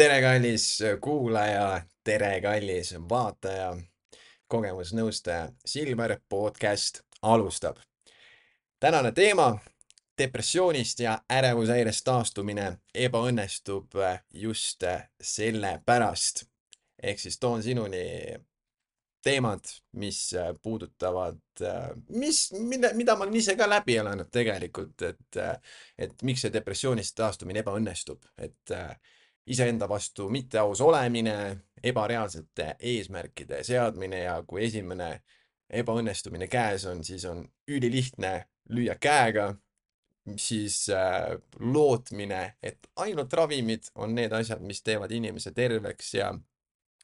Tere, kallis kuulaja, tere, kallis vaataja, kogemusnõustaja Silver podcast alustab. Tänane teema, depressioonist ja ärevushäirest taastumine ebaõnnestub just sellepärast. Ehk siis toon sinuni teemad, mis puudutavad, mida ma olen ise ka läbi elanud tegelikult, et miks see depressioonist taastumine ebaõnnestub, et iseenda vastu mitteaus olemine, ebareaalsete eesmärkide seadmine ja kui esimene ebaõnnestumine käes on, siis on ülilihtne lüüa käega, siis lootmine, et ainult ravimid on need asjad, mis teevad inimese terveks ja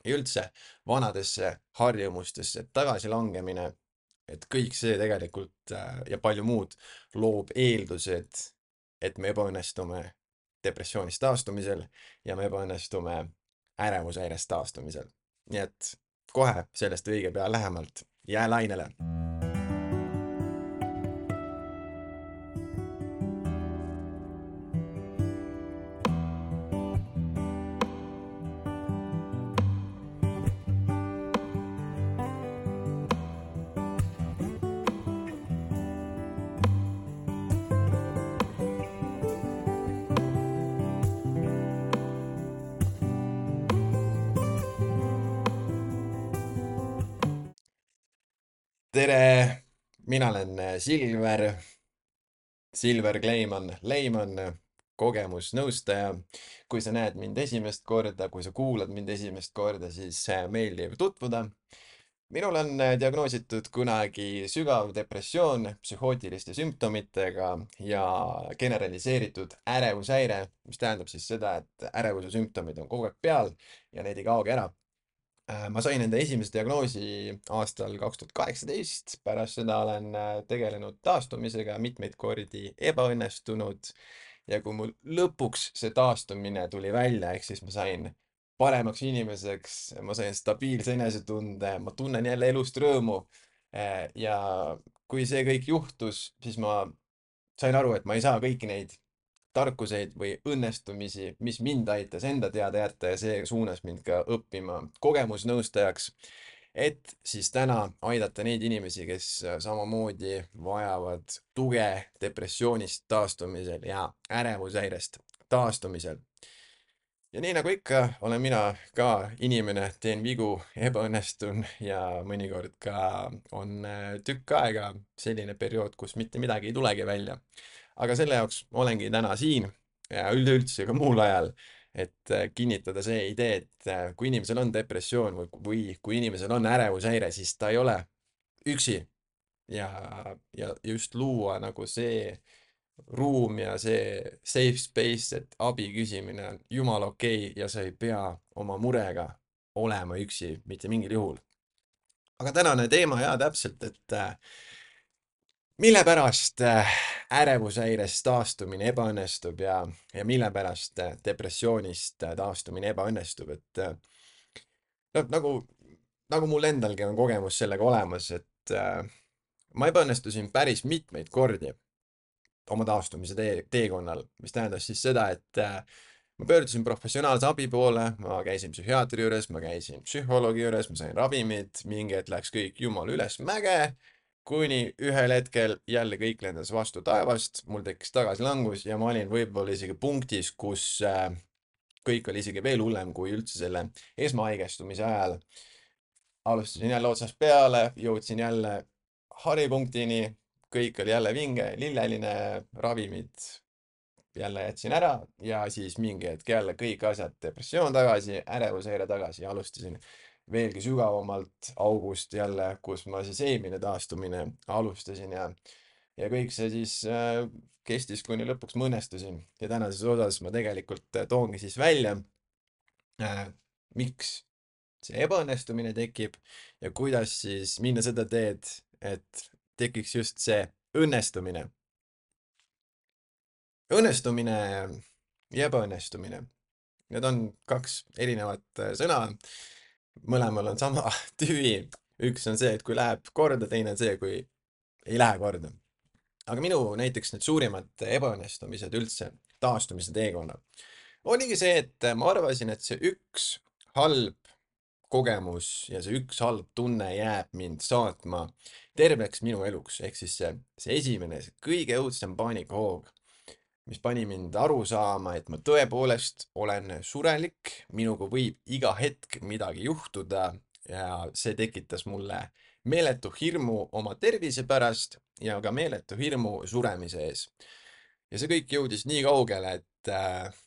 üldse vanadesse harjumustesse tagasilangemine, et kõik see tegelikult ja palju muud loob eeldused, et me ebaõnnestume depressioonist taastumisel ja me ebaõnnestume ärevushäirest taastumisel. Nii et kohe sellest õige pea lähemalt. Jää lainele. Tere, mina olen Silver Leiman, kogemusnõustaja. Kui sa näed mind esimest korda, kui sa kuulad mind esimest korda, siis meeldiv tutvuda. Minul on diagnoositud kunagi sügav depressioon psühhootiliste sümptomitega ja generaliseeritud ärevushäire, mis tähendab siis seda, et ärevuse sümptomid on kogu aeg peal ja need ei kaogi ära. Ma sain enda esimese diagnoosi aastal 2018, pärast seda olen tegelenud taastumisega mitmeid kordi ebaõnnestunud ja kui mul lõpuks see taastumine tuli välja, ehk siis ma sain paremaks inimeseks, ma sain stabiilse enesetunde, ma tunnen jälle elust rõõmu. Ja kui see kõik juhtus, siis ma sain aru, et ma ei saa kõiki neid tarkuseid või õnnestumisi, mis mind aitas enda teada jätta ja see suunas mind ka õppima kogemusnõustajaks, et siis täna aidata neid inimesi, kes samamoodi vajavad tuge depressioonist taastumisel ja ärevushäirest taastumisel. Ja nii nagu ikka, olen mina ka inimene, teen vigu, ebaõnnestun ja mõnikord ka on tükk aega selline periood, kus mitte midagi ei tulegi välja. Aga selle jaoks olengi täna siin ja üleüldse ka muul ajal, et kinnitada see idee, et kui inimesel on depressioon või kui inimesel on ärevushäire, siis ta ei ole üksi ja just luua nagu see ruum ja see safe space, et abi küsimine on jumala okei ja sa ei pea oma murega olema üksi mitte mingil juhul. Aga tänane teema täpselt, et mille pärast ärevushäirest taastumine ebaõnnestub ja mille pärast depressioonist taastumine ebaõnnestub, et no, nagu mul endalgi on kogemus sellega olemas, et ma ebaõnnestusin päris mitmeid kordi oma taastumise teekonnal, mis tähendas siis seda, et ma pöördusin professionaalse abi poole, ma käisin psühhiaatri juures, ma käisin psühholoogi juures, ma sain ravimid, mingi hetk läks kõik jumala üles mäge, kuni ühel hetkel jälle kõik lendas vastu taevast, mul tekkis tagasilangus ja ma olin võib-olla isegi punktis, kus kõik oli isegi veel hullem kui üldse selle esmahaigestumise ajal. Alustasin jälle otsast peale, jõudsin jälle haripunktini, kõik oli jälle vinge, lilleline, ravimid jälle jätsin ära ja siis mingi hetk jälle kõik asjad, depressioon tagasi, ärevushäire tagasi ja alustasin veelgi sügavamalt august jälle, kus ma siis eelmine taastumine alustasin ja kõik see siis kestis, kuni lõpuks ma õnnestusin ja tänases osas ma tegelikult toongi siis välja, miks see ebaõnnestumine tekib ja kuidas siis minna seda teed, et tekiks just see õnnestumine. Õnnestumine ja ebaõnnestumine. Need on kaks erinevat sõna. Mõlemal on sama tüvi. Üks on see, et kui läheb korda, teine on see, kui ei lähe korda. Aga minu näiteks need suurimad ebaõnnestumised üldse taastumise teekonnal oligi see, et ma arvasin, et see üks halb kogemus ja see üks halb tunne jääb mind saatma terveks minu eluks. Ehk siis see esimene, see kõige õudsem paanikahoog, mis pani mind aru saama, et ma tõepoolest olen surelik, minuga võib iga hetk midagi juhtuda ja see tekitas mulle meeletu hirmu oma tervise pärast ja ka meeletu hirmu suremise ees. Ja see kõik jõudis nii kaugele, et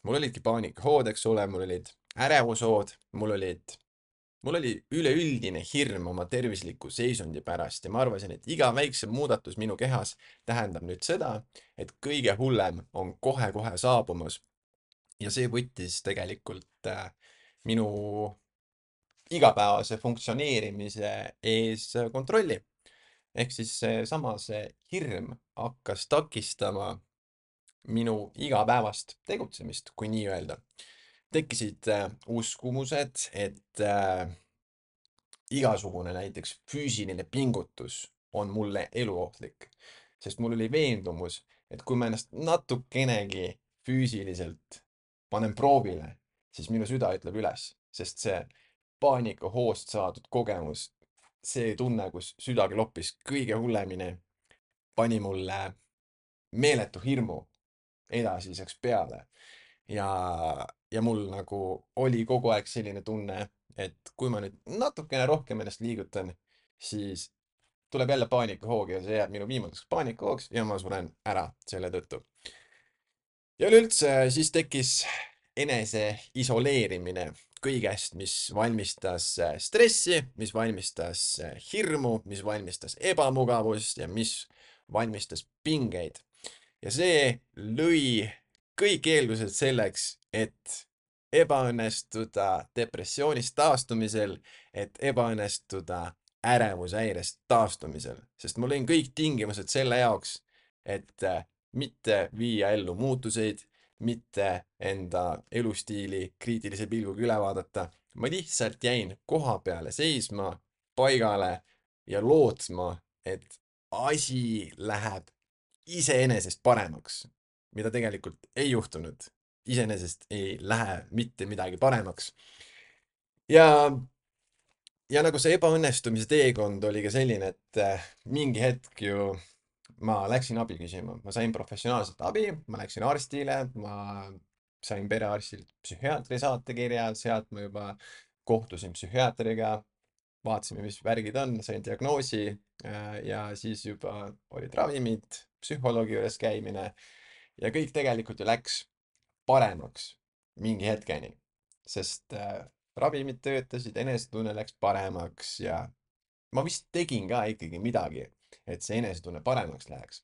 mul olidki paanikahood, eks ole, mul olid ärevushood, mul oli üleüldine hirm oma tervisliku seisundi pärast ja ma arvasin, et iga väiksem muudatus minu kehas tähendab nüüd seda, et kõige hullem on kohe-kohe saabumas. Ja see võttis tegelikult minu igapäevase funktsioneerimise ees kontrolli. Ehk siis seesama, see hirm hakkas takistama minu igapäevast tegutsemist, kui nii öelda. Tekkisid uskumused, et igasugune näiteks füüsiline pingutus on mulle eluohtlik, sest mul oli veendumus, et kui ma ennast natukenegi füüsiliselt panen proovile, siis minu süda ütleb üles, sest see paanikahoost saadud kogemus, see tunne, kus süda kloppis kõige hullemini, pani mulle meeletu hirmu edasiseks peale. Ja mul nagu oli kogu aeg selline tunne, et kui ma nüüd natukene rohkem ennast liigutan, siis tuleb jälle paanikahoog ja see jääb minu viimaseks paanikahoogs ja ma suren ära selle tõttu. Ja üleüldse siis tekkis enese isoleerimine kõigest, mis valmistas stressi, mis valmistas hirmu, mis valmistas ebamugavust ja mis valmistas pingeid. Ja see lõi kõik eeldused selleks, et ebaõnnestuda depressioonist taastumisel, et ebaõnnestuda ärevushäirest taastumisel, sest ma lõin kõik tingimused selle jaoks, et mitte viia ellu muutuseid, mitte enda elustiili kriitilise pilguga üle vaadata. Ma lihtsalt jäin koha peale seisma, paigale ja lootma, et asi läheb iseenesest paremaks, mida tegelikult ei juhtunud. Iseenesest ei lähe mitte midagi paremaks. Ja, ja nagu see ebaõnnestumise teekond oli ka selline, et mingi hetk ju ma läksin abi küsima, ma sain professionaalset abi, ma läksin arstile, ma sain perearstilt psühhiaatri saatekirja, sealt ma juba kohtusin psühhiaatriga, vaatasime, mis värgid on, sain diagnoosi ja siis juba olid ravimid, psühholoogi juures käimine ja kõik tegelikult ju läks paremaks mingi hetkeni, sest ravimid töötasid, enesetunne läks paremaks ja ma vist tegin ka ikkagi midagi, et see enesetunne paremaks läheks.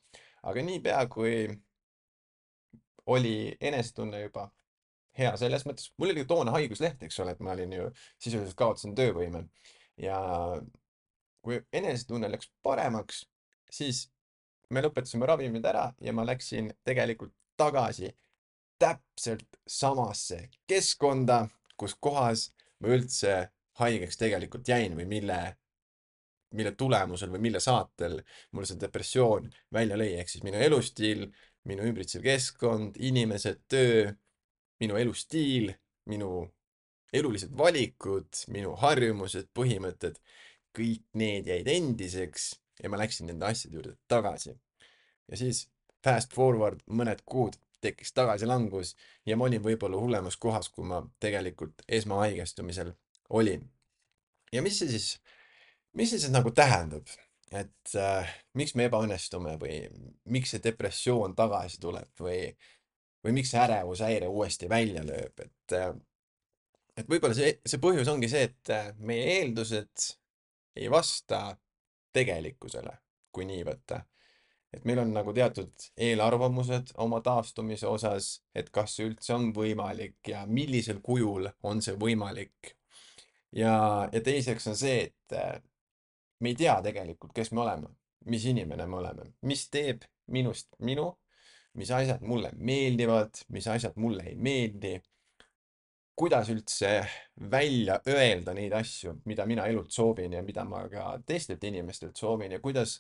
Aga niipea, kui oli enesetunne juba hea selles mõttes, mul oli ju toona haigusleht, eks ole, et ma olin ju sisuliselt kaotasin töövõime ja kui enesetunne läks paremaks, siis me lõpetasime ravimid ära ja ma läksin tegelikult tagasi täpselt samasse keskkonda, kus kohas ma üldse haigeks tegelikult jäin või mille tulemusel või mille saatel mul see depressioon välja lõi, ehk siis minu elustiil, minu ümbritsev keskkond, inimesed, töö, minu elustiil, minu elulised valikud, minu harjumused, põhimõtted, kõik need jäid endiseks ja ma läksin nende asjade juurde tagasi. Ja siis fast forward mõned kuud tekkis tagasilangus ja ma olin võib-olla hullemas kohas, kui ma tegelikult esmahaigestumisel olin. Ja mis see siis nagu tähendab, et miks me ebaõnnestume või miks see depressioon tagasi tuleb või miks see ärevushäire uuesti välja lööb, et võib-olla see põhjus ongi see, et meie eeldused ei vasta tegelikkusele, kui nii võtta. Et meil on nagu teatud eelarvamused oma taastumise osas, et kas see üldse on võimalik ja millisel kujul on see võimalik. Ja teiseks on see, et me ei tea tegelikult, kes me oleme, mis inimene me oleme, mis teeb minust minu, mis asjad mulle meeldivad, mis asjad mulle ei meeldi, kuidas üldse välja öelda neid asju, mida mina elult soovin ja mida ma ka teistelt inimestelt soovin ja kuidas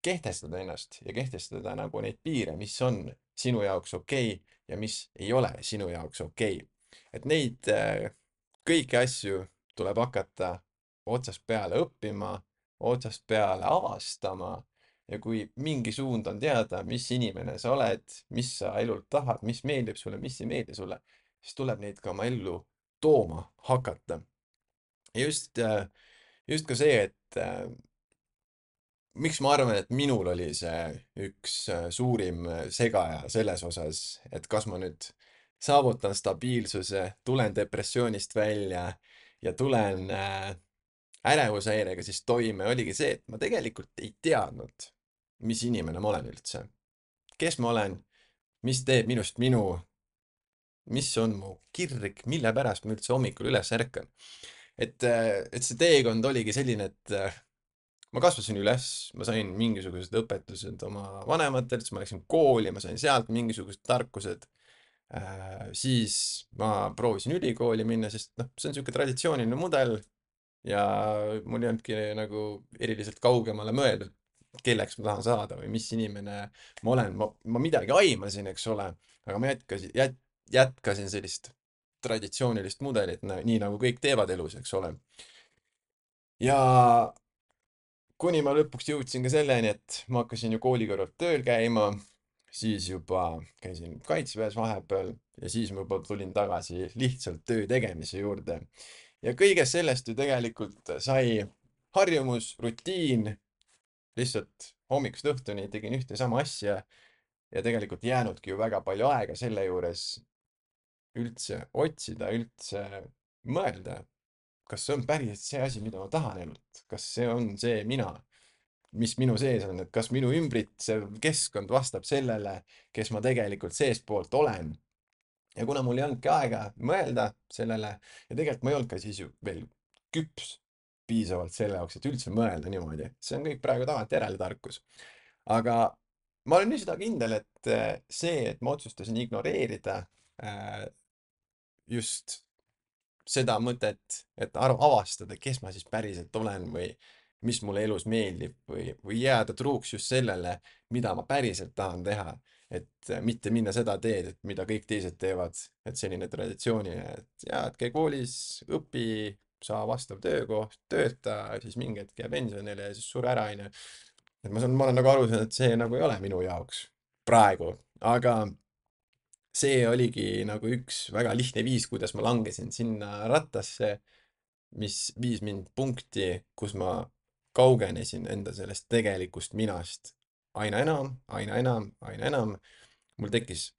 kehtestada ennast ja kehtestada nagu neid piire, mis on sinu jaoks okei ja mis ei ole sinu jaoks okei. Et neid kõiki asju tuleb hakata otsast peale õppima, otsast peale avastama ja kui mingi suund on teada, mis inimene sa oled, mis sa elult tahad, mis meeldib sulle, mis ei meeldi sulle, siis tuleb neid ka oma ellu tooma hakata. Ja just ka see, et miks ma arvan, et minul oli see üks suurim segaja selles osas, et kas ma nüüd saavutan stabiilsuse, tulen depressioonist välja ja tulen ärevushäirega siis toime, oligi see, et ma tegelikult ei teadnud, mis inimene ma olen üldse. Kes ma olen, mis teeb minust minu, mis on mu kirg, mille pärast ma üldse hommikul üles ärkan. Et see teekond oligi selline, et ma kasvasin üles, ma sain mingisugused õpetused oma vanematelt, siis ma läksin kooli, ma sain sealt mingisugused tarkused. Siis ma proovisin ülikooli minna, sest noh, see on niisugune traditsiooniline mudel ja mul ei olnudki nagu eriliselt kaugemale mõeldud, kelleks ma tahan saada või mis inimene ma olen. Ma midagi aimasin, eks ole, aga ma jätkasin sellist traditsioonilist mudelit, nii nagu kõik teevad elus, eks ole. Ja kuni ma lõpuks jõudsin ka selleni, et ma hakkasin ju kooli kõrvalt tööl käima, siis juba käisin kaitseväes vahepeal ja siis ma juba tulin tagasi lihtsalt töö tegemise juurde. Ja kõigest sellest ju tegelikult sai harjumus, rutiin, lihtsalt hommikust õhtuni tegin ühte sama asja ja tegelikult jäänudki ju väga palju aega selle juures üldse otsida, üldse mõelda, kas see on päriselt see asi, mida ma tahan elult, kas see on see mina, mis minu sees on, et kas minu ümbritsev keskkond vastab sellele, kes ma tegelikult seestpoolt olen. Ja kuna mul ei olnudki aega mõelda sellele ja tegelikult ma ei olnud ka siis ju veel küps piisavalt selle jaoks, et üldse mõelda niimoodi, see on kõik praegu tagantjärele tarkus. aga ma olen nii seda kindel, et see, et ma otsustasin ignoreerida just seda mõtet, et avastada, kes ma siis päriselt olen või mis mulle elus meeldib või jääda truuks just sellele, mida ma päriselt tahan teha. Et mitte minna seda teed, et mida kõik teised teevad, et selline traditsiooniline, et jaa, et käi koolis, õpi, saa vastav töökoht, tööta, siis mingi hetk jää pensionile ja siis sure ära, onju. Et ma olen nagu aru saanud, et see nagu ei ole minu jaoks praegu, aga see oligi nagu üks väga lihtne viis, kuidas ma langesin sinna rattasse, mis viis mind punkti, kus ma kaugenesin enda sellest tegelikust minast aina enam, aina enam, aina enam. mul tekkis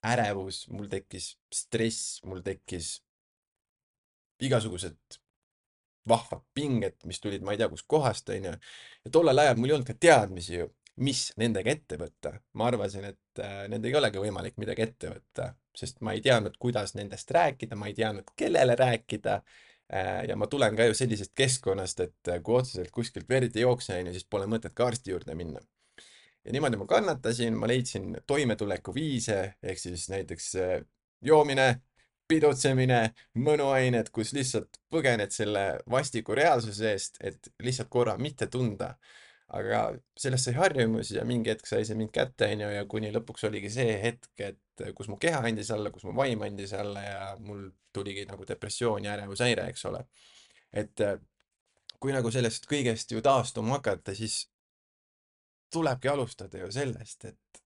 ärevus, mul tekkis stress, mul tekkis igasugused vahvad pinged, mis tulid, ma ei tea, kust kohast, onju. ja tollel ajal mul ei olnud ka teadmisi ju, mis nendega ette võtta. ma arvasin, et nendega ei olegi võimalik midagi ette võtta, sest ma ei teadnud, kuidas nendest rääkida, ma ei teadnud, kellele rääkida. ja ma tulen ka ju sellisest keskkonnast, et kui otseselt kuskilt verd ei jookse, onju, siis pole mõtet ka arsti juurde minna. ja niimoodi ma kannatasin, ma leidsin toimetulekuviise, ehk siis näiteks joomine, pidutsemine, mõnuained, kus lihtsalt põgened selle vastiku reaalsuse eest, et lihtsalt korra mitte tunda. aga sellest sai harjumus ja mingi hetk sai see mind kätte, onju, ja kuni lõpuks oligi see hetk, et kus mu keha andis alla, kus mu vaim andis alla ja mul tuligi nagu depressioon ja ärevushäire, eks ole. et kui nagu sellest kõigest ju taastuma hakata, siis tulebki alustada ju sellest, et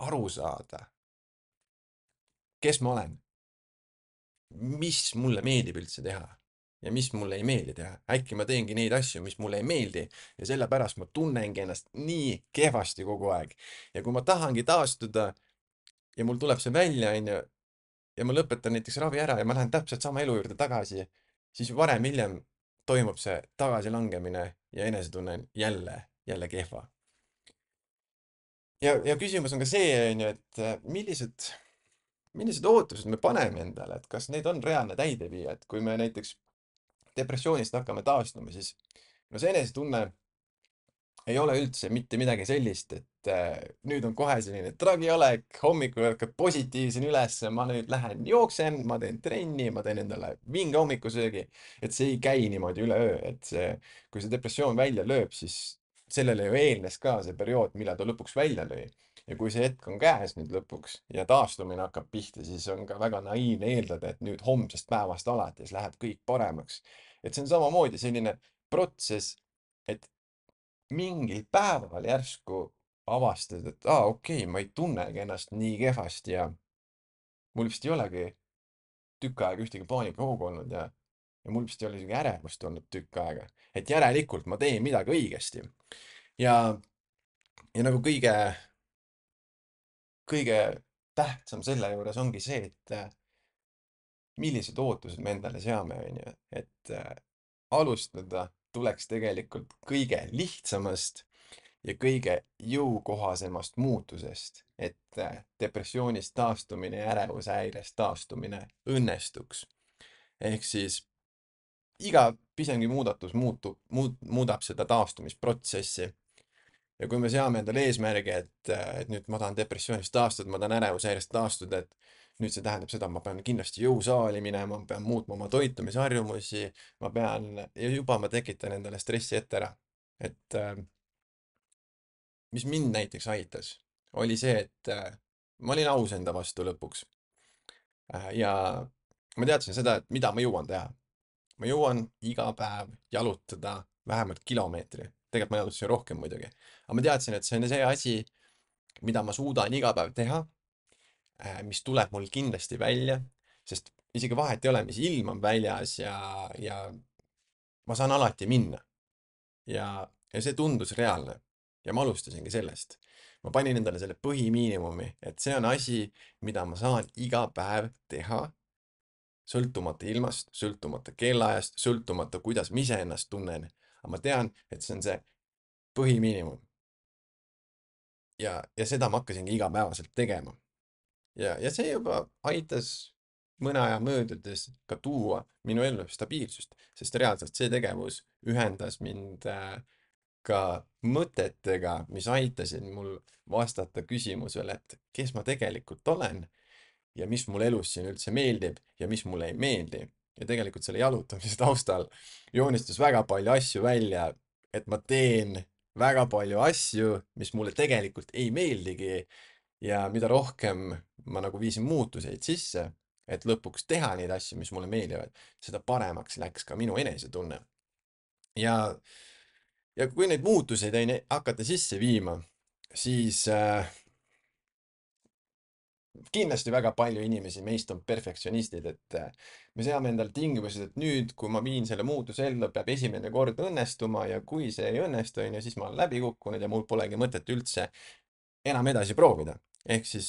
aru saada, kes ma olen, mis mulle meeldib üldse teha ja mis mulle ei meeldi teha. äkki ma teengi neid asju, mis mulle ei meeldi ja sellepärast ma tunnengi ennast nii kehvasti kogu aeg. ja kui ma tahangi taastuda ja mul tuleb see välja, onju, ja ma lõpetan näiteks ravi ära ja ma lähen täpselt sama elu juurde tagasi, siis varem-hiljem toimub see tagasilangemine ja enesetunne on jälle kehva. ja küsimus on ka see, onju, et millised ootused me paneme endale, et kas need on reaalne täideviija, et kui me näiteks depressioonist hakkame taastuma, siis no see enesetunne ei ole üldse mitte midagi sellist, et nüüd on kohe selline tragiolek, hommikul ärkad positiivsena üles, ma nüüd lähen jooksen, ma teen trenni, ma teen endale vinge hommikusöögi, et see ei käi niimoodi üleöö, et see, kui see depressioon välja lööb, siis sellele ju eelnes ka see periood, millal ta lõpuks välja lõi. ja kui see hetk on käes nüüd lõpuks ja taastumine hakkab pihta, siis on ka väga naiivne eeldada, et nüüd homsest päevast alates läheb kõik paremaks. et see on samamoodi selline protsess, et mingil päeval järsku avastad, et okei, ma ei tunnegi ennast nii kehvasti ja mul vist ei olegi tükk aega ühtegi paanikahoogu olnud ja mul vist ei ole isegi ärevust olnud tükk aega. et järelikult ma teen midagi õigesti. ja, ja nagu kõige tähtsam selle juures ongi see, et millised ootused me endale seame, onju. et alustada tuleks tegelikult kõige lihtsamast ja kõige jõukohasemast muutusest, et depressioonist taastumine ja ärevushäirest taastumine õnnestuks. ehk siis iga pisemgi muudatus muudab seda taastumisprotsessi. ja kui me seame endale eesmärgi, et nüüd ma tahan depressioonist taastuda, ma tahan ärevushäirest taastuda, et nüüd see tähendab seda, et ma pean kindlasti jõusaali minema, ma pean muutma oma toitumisharjumusi, ja juba ma tekitan endale stressi ette ära. et mis mind näiteks aitas, oli see, et ma olin aus enda vastu lõpuks. Ja ma teadsin seda, et mida ma jõuan teha. Ma jõuan iga päev jalutada vähemalt kilomeetri. Tegelikult ma jalutasin rohkem muidugi. Aga ma teadsin, et see on see asi, mida ma suudan iga päev teha, mis tuleb mul kindlasti välja, sest isegi vahet ei ole, mis ilm on väljas ja ma saan alati minna. Ja see tundus reaalne. Ja ma alustasingi sellest. Ma panin endale selle põhimiinimumi, et see on asi, mida ma saan iga päev teha, sõltumata ilmast, sõltumata kellaajast, sõltumata, kuidas ma ise ennast tunnen. Aga ma tean, et see on see põhimiinimum. Ja seda ma hakkasingi igapäevaselt tegema. Ja see juba aitas mõne aja möödudes ka tuua minu ellu stabiilsust, sest reaalselt see tegevus ühendas mind ka mõtetega, mis aitasid mul vastata küsimusele, et kes ma tegelikult olen ja mis mulle elus siin üldse meeldib ja mis mulle ei meeldi. Ja tegelikult selle jalutamise taustal joonistus väga palju asju välja, et ma teen väga palju asju, mis mulle tegelikult ei meeldigi ja mida rohkem ma nagu viisin muutuseid sisse, et lõpuks teha neid asju, mis mulle meeldivad, seda paremaks läks ka minu enesetunne. Ja, ja kui neid muutuseid hakata sisse viima, siis kindlasti väga palju inimesi meist on perfektsionistid, et me seame endale tingimused, et nüüd, kui ma viin selle muutuse ellu, peab esimene kord õnnestuma ja kui see ei õnnestu, on ju, siis ma olen läbi kukkunud ja mul polegi mõtet üldse enam edasi proovida. Ehk siis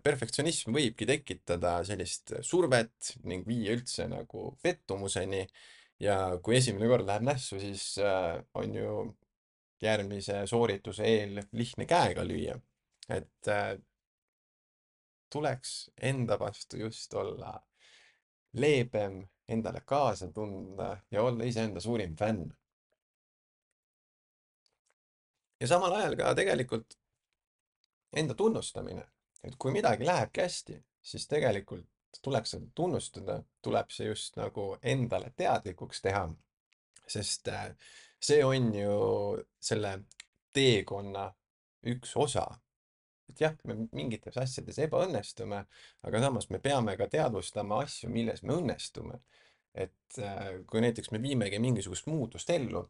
perfektsionism võibki tekitada sellist survet ning viia üldse nagu pettumuseni. Ja kui esimene kord läheb nässu, siis on ju järgmise soorituse eel lihtne käega lüüa. Et tuleks enda vastu just olla leebem, endale kaasa tunda ja olla iseenda suurim fänn. Ja samal ajal ka tegelikult enda tunnustamine, et kui midagi lähebki hästi, siis tegelikult tuleks seda tunnustada, tuleb see just nagu endale teadlikuks teha, sest see on ju selle teekonna üks osa. et jah, me mingites asjades ebaõnnestume, aga samas me peame ka teadvustama asju, milles me õnnestume. et kui näiteks me viimegi mingisugust muutust ellu,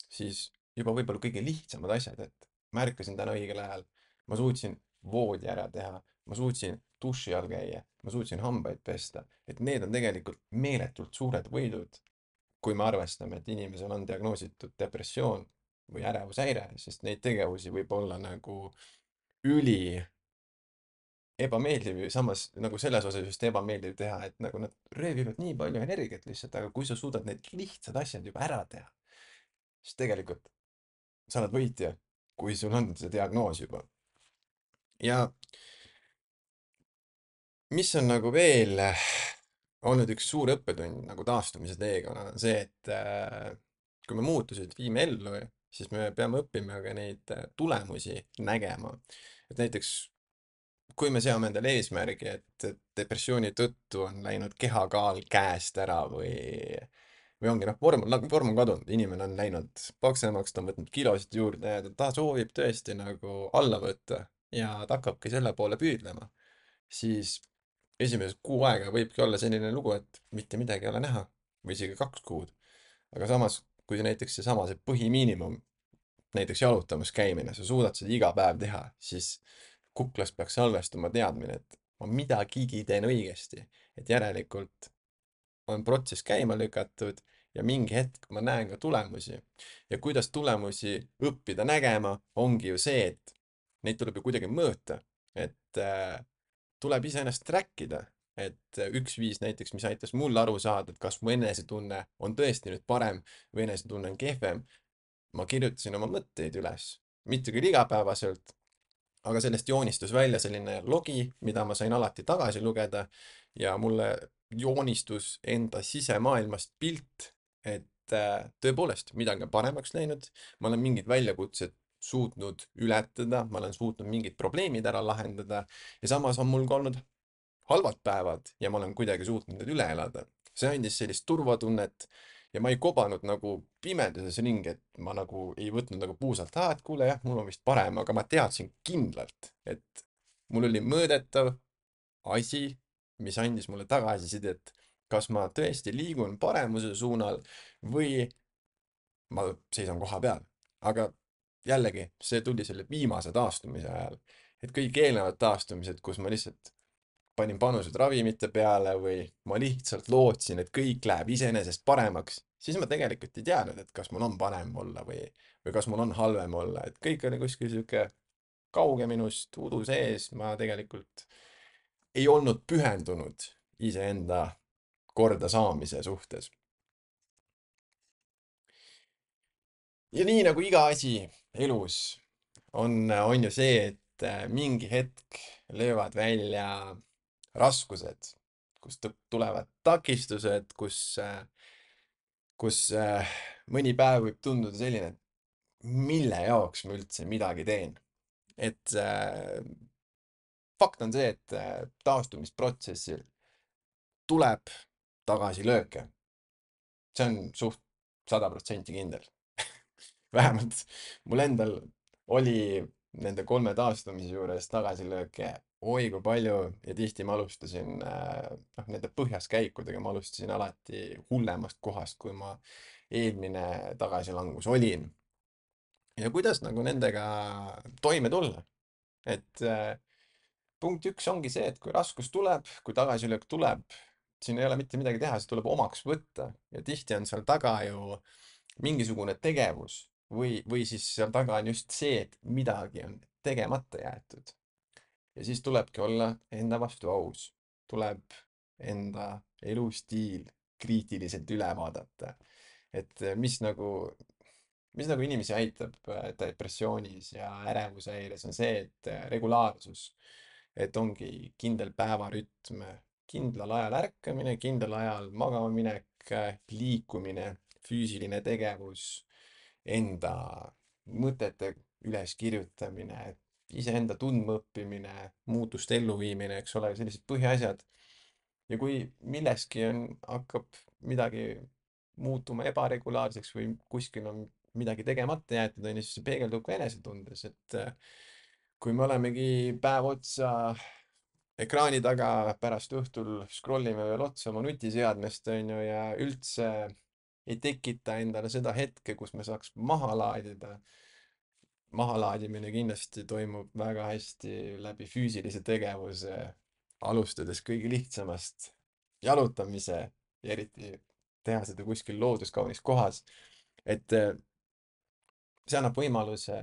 siis juba võib-olla kõige lihtsamad asjad, et ma ärkasin täna õigel ajal, ma suutsin voodi ära teha, ma suutsin duši all käia, ma suutsin hambaid pesta, et need on tegelikult meeletult suured võidud, kui me arvestame, et inimesel on diagnoositud depressioon või ärevushäire, sest neid tegevusi võib olla nagu üli ebameeldiv ja samas nagu selles osas just ebameeldiv teha, et nagu nad röövivad nii palju energiat lihtsalt, aga kui sa suudad need lihtsad asjad juba ära teha, siis tegelikult sa oled võitja, kui sul on see diagnoos juba. Ja mis on nagu veel olnud üks suur õppetund nagu taastumise teekonnal, on see, et kui me muutused viime ellu, siis me peame õppima ka neid tulemusi nägema. et näiteks kui me seame endale eesmärgi, et depressiooni tõttu on läinud kehakaal käest ära või ongi noh, vorm on kadunud, inimene on läinud paksemaks, ta on võtnud kilosid juurde ja ta soovib tõesti nagu alla võtta ja ta hakkabki selle poole püüdlema, siis esimesed kuu aega võibki olla selline lugu, et mitte midagi ei ole näha või isegi 2 kuud. aga samas, kui näiteks see põhimiinimum, näiteks jalutamas käimine, sa suudad seda iga päev teha, siis kuklas peaks salvestuma teadmine, et ma midagigi teen õigesti, et järelikult on protsess käima lükatud ja mingi hetk ma näen ka tulemusi. ja kuidas tulemusi õppida nägema, ongi ju see, et neid tuleb ju kuidagi mõõta, et tuleb iseennast track ida, et üks viis näiteks, mis aitas mul aru saada, et kas mu enesetunne on tõesti nüüd parem või enesetunne on kehvem, ma kirjutasin oma mõtteid üles, mitte küll igapäevaselt, aga sellest joonistus välja selline logi, mida ma sain alati tagasi lugeda ja mulle joonistus enda sisemaailmast pilt, et tõepoolest midagi on paremaks läinud, ma olen mingid väljakutsed suutnud ületada, ma olen suutnud mingid probleemid ära lahendada ja samas on mul ka olnud halvad päevad ja ma olen kuidagi suutnud need üle elada. see andis sellist turvatunnet ja ma ei kobanud nagu pimeduses ringi, et ma nagu ei võtnud nagu puusalt, et kuule jah, mul on vist parem, aga ma teadsin kindlalt, et mul oli mõõdetav asi, mis andis mulle tagasisidet, kas ma tõesti liigun paremuse suunal või ma seisan koha peal. aga jällegi, see tuli selle viimase taastumise ajal, et kõik eelnevad taastumised, kus ma lihtsalt panin panused ravimite peale või ma lihtsalt lootsin, et kõik läheb iseenesest paremaks, siis ma tegelikult ei teadnud, et kas mul on parem olla või kas mul on halvem olla, et kõik oli kuskil sihuke kauge minust, udu sees, ma tegelikult ei olnud pühendunud iseenda kordasaamise suhtes. ja nii nagu iga asi elus on ju see, et mingi hetk löövad välja raskused, kust tulevad takistused, kus mõni päev võib tunduda selline, et mille jaoks ma üldse midagi teen. et fakt on see, et taastumisprotsessil tuleb tagasilööke. see on suht 100% kindel. vähemalt mul endal oli nende 3 taastumise juures tagasilööke oi kui palju ja tihti ma alustasin nende põhjaskäikudega, ma alustasin alati hullemast kohast, kui ma eelmine tagasilangus olin. ja kuidas nagu nendega toime tulla, et punkt 1 ongi see, et kui raskus tuleb, kui tagasilöök tuleb, siin ei ole mitte midagi teha, see tuleb omaks võtta ja tihti on seal taga ju mingisugune tegevus või siis seal taga on just see, et midagi on tegemata jäetud. ja siis tulebki olla enda vastu aus, tuleb enda elustiil kriitiliselt üle vaadata, et mis nagu inimesi aitab depressioonis ja ärevushäires on see, et regulaarsus, et ongi kindel päevarütm, kindlal ajal ärkamine, kindlal ajal magama minek, liikumine, füüsiline tegevus, enda mõtete üleskirjutamine, iseenda tundmaõppimine, muutuste elluviimine, eks ole, sellised põhiasjad. ja kui milleski hakkab midagi muutuma ebaregulaarseks või kuskil on midagi tegemata jäetud, on ju, siis see peegeldub ka enesetundes, et kui me olemegi päev otsa ekraani taga, pärast õhtul scrollime veel otsa oma nutiseadmest, on ju, ja üldse ei tekita endale seda hetke, kus me saaks maha laadida. mahalaadimine kindlasti toimub väga hästi läbi füüsilise tegevuse, alustades kõige lihtsamast, jalutamise ja eriti teha seda kuskil looduskaunis kohas, et see annab võimaluse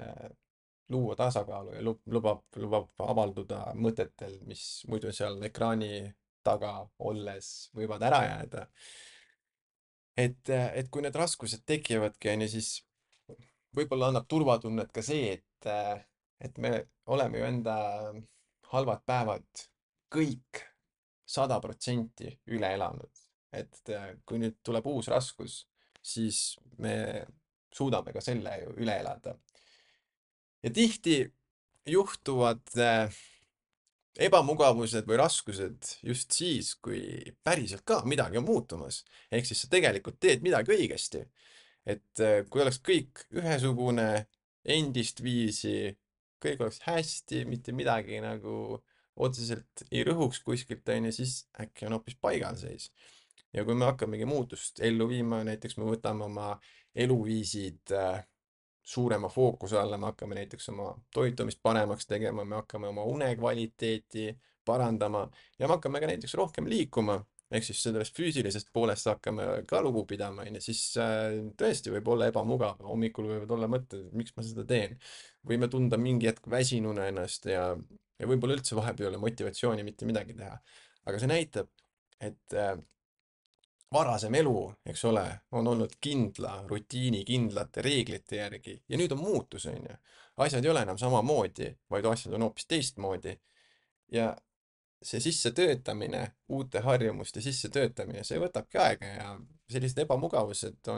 luua tasakaalu ja lubab avalduda mõtetel, mis muidu seal ekraani taga olles võivad ära jääda. et kui need raskused tekivadki, on ju, siis võib-olla annab turvatunnet ka see, et me oleme ju enda halvad päevad kõik 100% üle elanud. et kui nüüd tuleb uus raskus, siis me suudame ka selle ju üle elada. ja tihti juhtuvad ebamugavused või raskused just siis, kui päriselt ka midagi on muutumas. ehk siis sa tegelikult teed midagi õigesti. et kui oleks kõik ühesugune, endist viisi, kõik oleks hästi, mitte midagi nagu otseselt ei rõhuks kuskilt, onju, siis äkki on hoopis paigalseis. ja kui me hakkamegi muutust ellu viima, näiteks me võtame oma eluviisid suurema fookuse alla, me hakkame näiteks oma toitumist paremaks tegema, me hakkame oma une kvaliteeti parandama ja me hakkame ka näiteks rohkem liikuma, ehk siis sellest füüsilisest poolest hakkame ka lugu pidama, onju, siis tõesti võib olla ebamugav, hommikul võivad olla mõtted, miks ma seda teen. võime tunda mingi hetk väsinuna ennast ja võib-olla üldse vahepeal ei ole motivatsiooni mitte midagi teha. aga see näitab, et varasem elu, eks ole, on olnud kindla rutiini, kindlate reeglite järgi ja nüüd on muutus, onju. asjad ei ole enam samamoodi, vaid asjad on hoopis teistmoodi. ja see sissetöötamine, uute harjumuste sissetöötamine, see võtabki aega ja sellised ebamugavused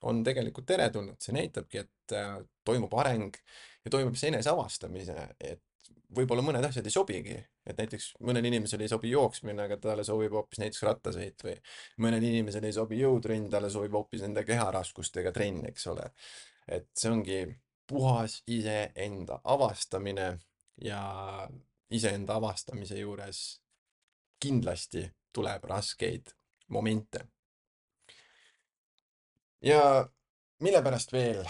on tegelikult teretulnud, see näitabki, et toimub areng ja toimub see eneseavastamise, et võib-olla mõned asjad ei sobigi, et näiteks mõnele inimesele ei sobi jooksmine, aga talle sobib hoopis näiteks rattasõit või mõnele inimesele ei sobi jõutrenn, talle sobib hoopis nende keharaskustega trenn, eks ole. et see ongi puhas iseenda avastamine ja iseenda avastamise juures kindlasti tuleb raskeid momente. ja mille pärast veel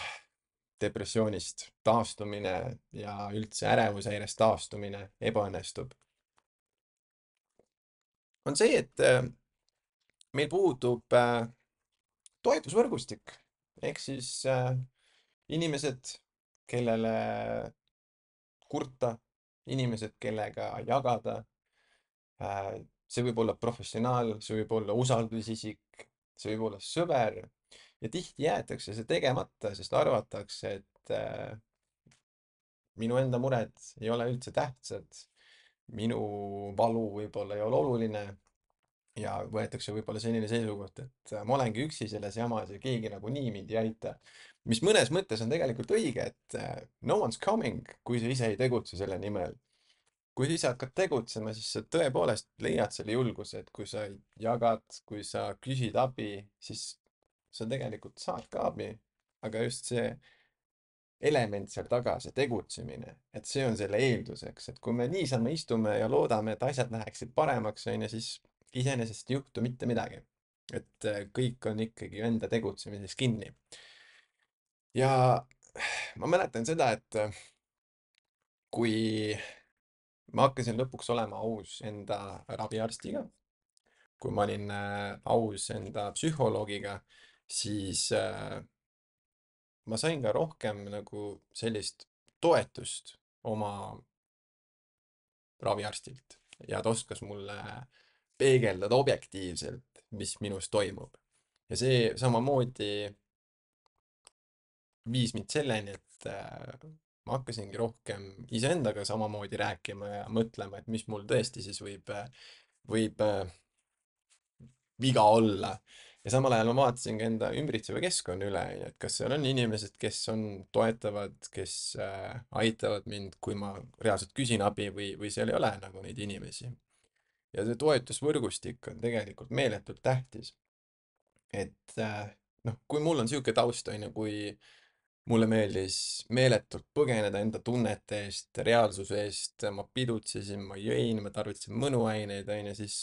depressioonist taastumine ja üldse ärevushäirest taastumine ebaõnnestub, on see, et meil puudub toetusvõrgustik ehk siis inimesed, kellele kurta, inimesed, kellega jagada. see võib olla professionaal, see võib olla usaldusisik, see võib olla sõber ja tihti jäetakse see tegemata, sest arvatakse, et minu enda mured ei ole üldse tähtsad, minu valu võib-olla ei ole oluline ja võetakse võib-olla selline seisukoht, et ma olengi üksi selles jamas ja keegi nagunii mind ei aita. mis mõnes mõttes on tegelikult õige, et no one's coming, kui sa ise ei tegutse selle nimel. kui sa ise hakkad tegutsema, siis sa tõepoolest leiad selle julguse, et kui sa jagad, kui sa küsid abi, siis sa tegelikult saad ka abi. aga just see element seal taga, see tegutsemine, et see on selle eelduseks, et kui me niisama istume ja loodame, et asjad läheksid paremaks, onju, siis iseenesest ei juhtu mitte midagi. et kõik on ikkagi enda tegutsemises kinni. ja ma mäletan seda, et kui ma hakkasin lõpuks olema aus enda raviarstiga, kui ma olin aus enda psühholoogiga, siis ma sain ka rohkem nagu sellist toetust oma raviarstilt ja ta oskas mulle peegeldada objektiivselt, mis minus toimub. ja see samamoodi viis mind selleni, et ma hakkasingi rohkem iseendaga samamoodi rääkima ja mõtlema, et mis mul tõesti siis võib viga olla. ja samal ajal ma vaatasin ka enda ümbritseva keskkonna üle, et kas seal on inimesed, kes on toetavad, kes aitavad mind, kui ma reaalselt küsin abi või seal ei ole nagu neid inimesi. ja see toetusvõrgustik on tegelikult meeletult tähtis. et noh, kui mul on niisugune taust, on ju, kui mulle meeldis meeletult põgeneda enda tunnete eest, reaalsuse eest, ma pidutsesin, ma jõin, ma tarvitasin mõnuaineid, on ju, siis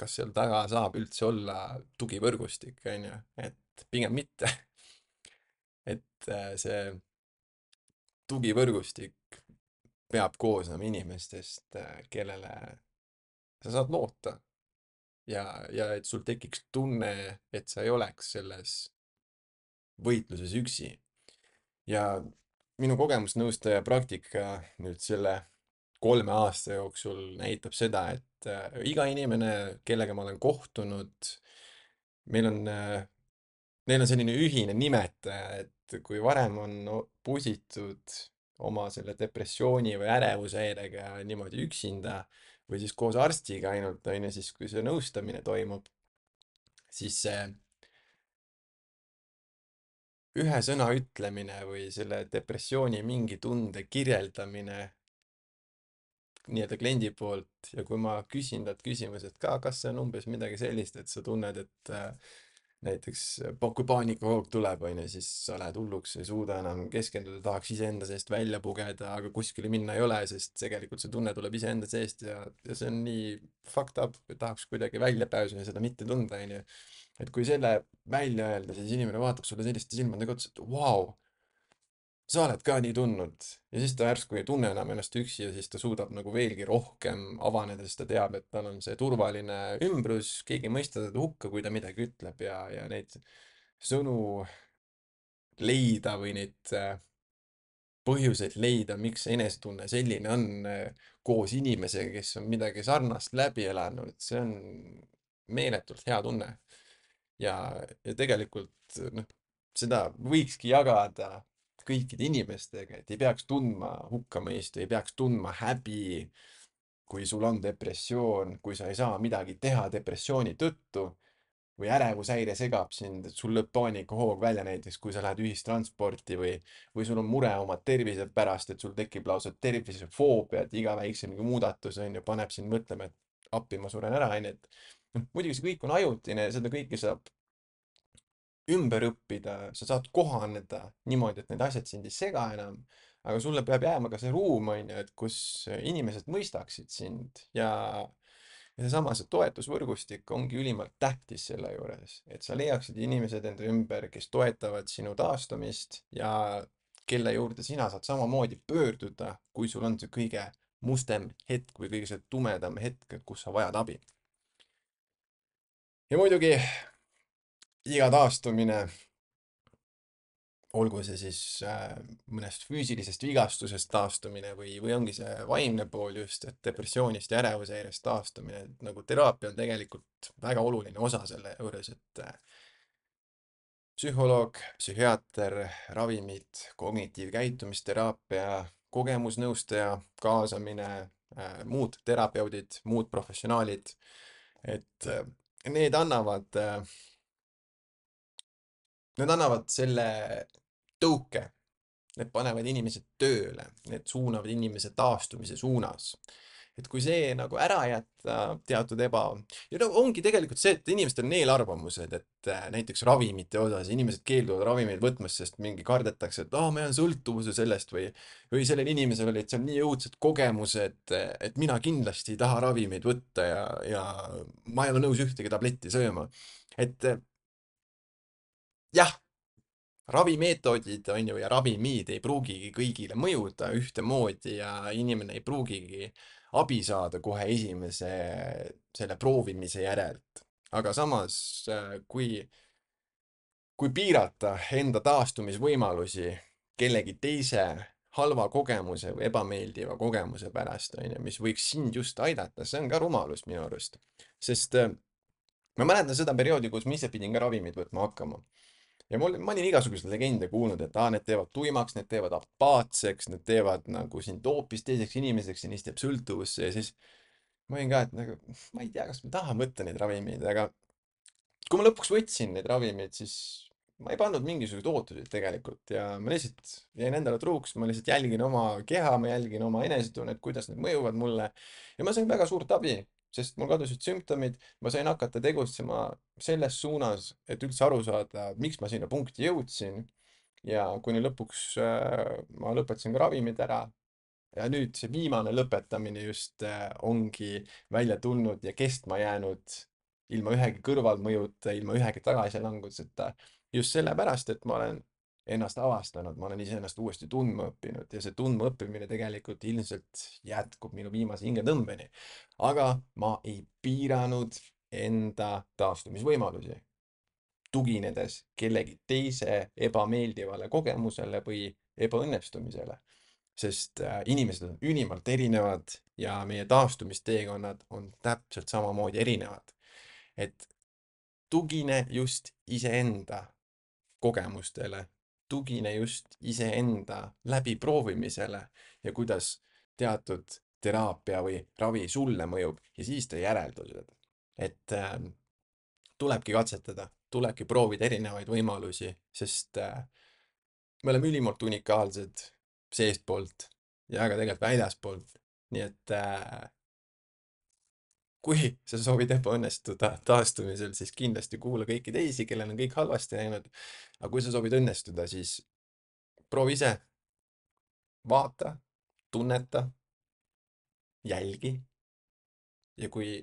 kas seal taga saab üldse olla tugivõrgustik, on ju, et pigem mitte. et see tugivõrgustik peab koosnema inimestest, kellele sa saad loota ja et sul tekiks tunne, et sa ei oleks selles võitluses üksi. ja minu kogemusnõustaja praktika nüüd selle 3 aasta jooksul näitab seda, et iga inimene, kellega ma olen kohtunud, meil on, neil on selline ühine nimetaja, et kui varem on pusitud oma selle depressiooni või ärevushäirega niimoodi üksinda või siis koos arstiga ainult, on ju, siis kui see nõustamine toimub, siis see ühe sõna ütlemine või selle depressiooni mingi tunde kirjeldamine nii-öelda kliendi poolt ja kui ma küsin talt küsimused ka, kas see on umbes midagi sellist, et sa tunned, et näiteks kui paanikahoog tuleb, onju, siis sa lähed hulluks, ei suuda enam keskenduda, tahaks iseenda seest välja pugeda, aga kuskile minna ei ole, sest tegelikult see tunne tuleb iseenda seest ja see on nii fucked up, et tahaks kuidagi väljapääsu ja seda mitte tunda, onju. Et kui selle välja öelda, siis inimene vaatab sulle selliste silmadega otsa, et vau, sa oled ka nii tundnud. Ja siis ta järsku ei tunne enam ennast üksi ja siis ta suudab nagu veelgi rohkem avaneda, sest ta teab, et tal on see turvaline ümbrus, keegi ei mõista teda hukka, kui ta midagi ütleb ja neid sõnu leida või neid põhjuseid leida, miks see enesetunne selline on koos inimesega, kes on midagi sarnast läbi elanud, see on meeletult hea tunne. ja, ja tegelikult noh, seda võikski jagada kõikide inimestega, et ei peaks tundma hukkamõistu, ei peaks tundma häbi, kui sul on depressioon, kui sa ei saa midagi teha depressiooni tõttu või ärevushäire segab sind, et sul lööb paanikahoog välja näiteks, kui sa lähed ühistransporti või sul on mure oma tervise pärast, et sul tekib lausa tervisefoobia, et iga väiksem mingi muudatus on ju, paneb sind mõtlema, et appi, ma suren ära, onju, et noh, muidugi see kõik on ajutine ja seda kõike saab ümber õppida, sa saad kohaneda niimoodi, et need asjad sind ei sega enam, aga sulle peab jääma ka see ruum, onju, et kus inimesed mõistaksid sind ja seesama, see toetusvõrgustik ongi ülimalt tähtis selle juures, et sa leiaksid inimesed enda ümber, kes toetavad sinu taastumist ja kelle juurde sina saad samamoodi pöörduda, kui sul on see kõige mustem hetk või kõige see tumedam hetk, kus sa vajad abi. Ja muidugi iga taastumine, olgu see siis mõnest füüsilisest vigastusest taastumine või ongi see vaimne pool just, et depressioonist ja ärevushäirest taastumine, et nagu teraapia on tegelikult väga oluline osa selle juures, et psühholoog, psühhiaater, ravimid, kognitiivkäitumisteraapia, kogemusnõustaja kaasamine, muud terapeudid, muud professionaalid, et need annavad Need annavad selle tõuke, need panevad inimesed tööle, need suunavad inimese taastumise suunas. Et kui see nagu ära jätta teatud ja no ongi tegelikult see, et inimestel on eelarvamused, et näiteks ravimite osas inimesed keelduvad ravimeid võtmast, sest mingi kardetakse, et ma jään sõltuvuse sellest või sellel inimesel olid seal nii õudsed kogemused, et mina kindlasti ei taha ravimeid võtta ja ma ei ole nõus ühtegi tabletti sööma. Et jah, ravimeetodid on ju ja ravimid ei pruugigi kõigile mõjuda ühtemoodi ja inimene ei pruugigi abi saada kohe esimese selle proovimise järelt. Aga samas, kui piirata enda taastumisvõimalusi kellegi teise halva kogemuse või ebameeldiva kogemuse pärast, on ju, mis võiks sind just aidata, see on ka rumalus minu arust. Sest ma mäletan seda perioodi, kus ma ise pidin ka ravimeid võtma hakkama. Ja ma olin igasuguseid legende kuulnud, et need teevad tuimaks, need teevad apaatseks, need teevad nagu sind hoopis teiseks inimeseks ja neist jääb sõltuvusse ja siis ma olin ka, et nagu, ma ei tea, kas ma tahan võtta neid ravimeid, aga kui ma lõpuks võtsin neid ravimeid, siis ma ei pannud mingisuguseid ootuseid tegelikult ja ma lihtsalt jäin endale truuks, ma lihtsalt jälgin oma keha, ma jälgin oma enesetunnet, kuidas need mõjuvad mulle ja ma sain väga suurt abi, sest mul kadusid sümptomid, ma sain hakata tegutsema selles suunas, et üldse aru saada, miks ma sinna punkti jõudsin ja kuni lõpuks ma lõpetasin ka ravimid ära ja nüüd see viimane lõpetamine just ongi välja tulnud ja kestma jäänud ilma ühegi kõrvalmõjuta, ilma ühegi tagasilanguseta. Just sellepärast, et ma olen ennast avastanud, ma olen iseennast uuesti tundma õppinud ja see tundma õppimine tegelikult ilmselt jätkub minu viimase hingetõmbeni. Aga ma ei piiranud enda taastumisvõimalusi, tuginedes kellegi teise ebameeldivale kogemusele või ebaõnnestumisele sest inimesed on ülimalt erinevad ja meie taastumisteekonnad on täpselt samamoodi erinevad. Et tugine just iseenda kogemustele, tugine just iseenda läbiproovimisele ja kuidas teatud teraapia või ravi sulle mõjub ja siis tee järeldused. Et tulebki katsetada, tulebki proovida erinevaid võimalusi, sest me oleme ülimalt unikaalsed seestpoolt ja ka tegelikult väljaspoolt. nii et kui sa soovid ebaõnnestuda taastumisel, siis kindlasti kuula kõiki teisi, kellel on kõik halvasti läinud. aga kui sa soovid õnnestuda, siis proovi ise, vaata, tunneta, jälgi ja kui